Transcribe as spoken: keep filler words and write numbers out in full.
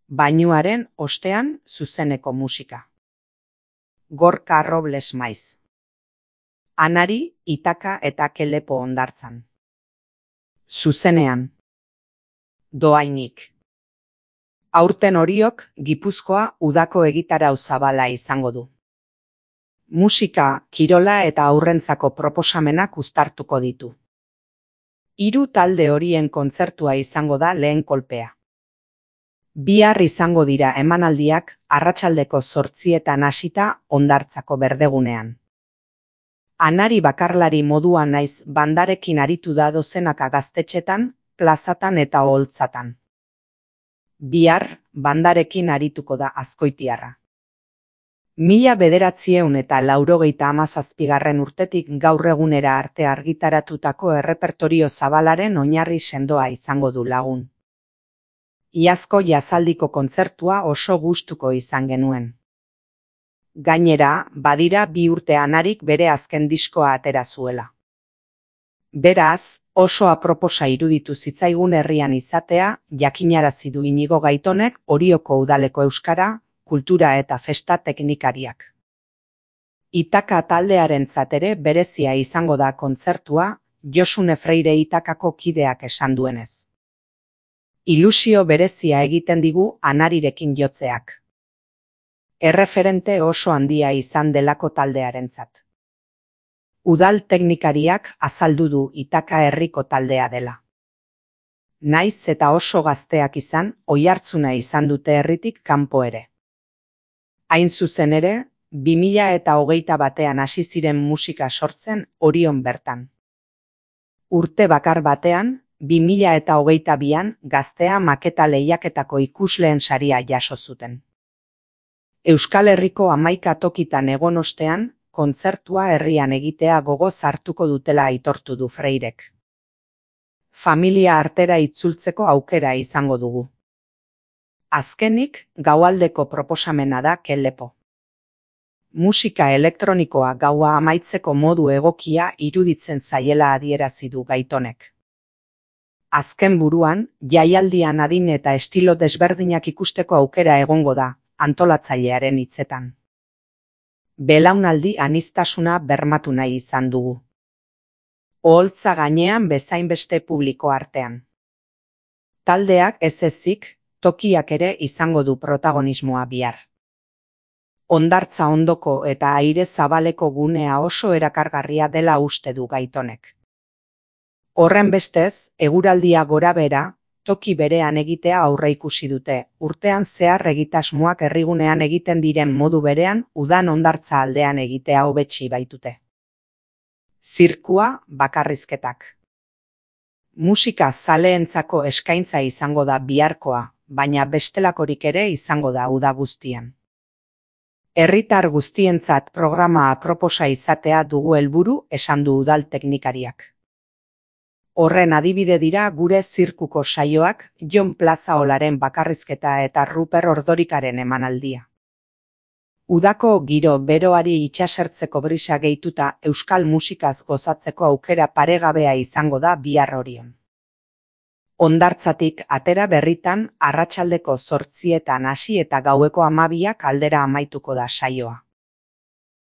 Bainuaren ostean zuzeneko musika. Gorka Robles maiz. Anari, Itaka eta Kelepo hondartzan. Zuzenean. Dohainik. Aurten horiok Gipuzkoa udako egitarau zabala izango du. Musika, kirola eta aurrentzako proposamenak uztartuko ditu. Hiru talde horien kontzertua izango da lehen kolpea. Bihar izango dira emanaldiak arratsaldeko zortzietan hasita hondartzako berdegunean. Anari bakarlari moduan naiz bandarekin aritu da dozenaka gaztetxetan, plazatan eta oholtzatan. Bihar bandarekin arituko da azkoitiarra. Mila bederatzieun eta laurogeita hamazazpigarren urtetik gaur egunera arte argitaratutako errepertorio zabalaren oinarri sendoa izango du lagun. Iazko jazaldiko kontzertua oso gustuko izan genuen. Gainera, badira bi urte Anarik bere azken diskoa atera zuela. Beraz, oso aproposa iruditu zitzaigun herrian izatea, jakinarazi du Inigo Gaitonek Orioko udaleko euskara, kultura eta festa teknikariak. Itaka taldearentzat ere berezia izango da kontzertua, Josune Freire Itakako kideak esan duenez. Ilusio berezia egiten digu Anarirekin jotzeak. Erreferente oso handia izan delako taldearentzat. Udal teknikariak azaldu du Itaka herriko taldea dela. Naiz eta oso gazteak izan, oihartzuna izan dute herritik kanpo ere. Hain zuzen ere, bi mila eta hogeita batean hasi ziren musika sortzen Orion bertan. Urte bakar batean, bi mila eta hogeita bian Gaztea maketa lehiaketako ikusleen saria jaso zuten. Euskal Herriko hamaika tokitan egon ostean, kontzertua herrian egitea gogoz hartuko dutela aitortu du Freirek. Familia artera itzultzeko aukera izango dugu. Azkenik, gaualdeko proposamena da Kelepo. Musika elektronikoa gaua amaitzeko modu egokia iruditzen zaiela adierazi du Gaitonek. Azken buruan, jaialdian adin eta estilo desberdinak ikusteko aukera egongo da, antolatzailearen hitzetan. Belaunaldi aniztasuna bermatu nahi izan dugu. Oholtza gainean bezainbeste publiko artean. Taldeak ez ezik, tokiak ere izango du protagonismoa bihar. Hondartza ondoko eta aire zabaleko gunea oso erakargarria dela uste du Gaitonek. Horren bestez, eguraldia gorabehera, toki berean egitea aurreikusi dute, urtean zehar egitasmoak herrigunean egiten diren modu berean udan hondartza aldean egitea hobetsi baitute. Zirkua, bakarrizketak. Musika zaleentzako eskaintza izango da biharkoa, baina bestelakorik ere izango da uda guztian. Herritar guztientzat programa aproposa izatea dugu helburu, esan du udal teknikariak. Horren adibide dira gure zirkuko saioak, Jon Plazaolaren bakarrizketa eta Ruper Ordorikaren emanaldia. Udako giro beroari itsasertzeko brisa gehituta euskal musikaz gozatzeko aukera paregabea izango da bihar Orion. Hondartzatik atera berritan arratsaldeko zortzietan hasi eta gaueko hamabiak aldera amaituko da saioa.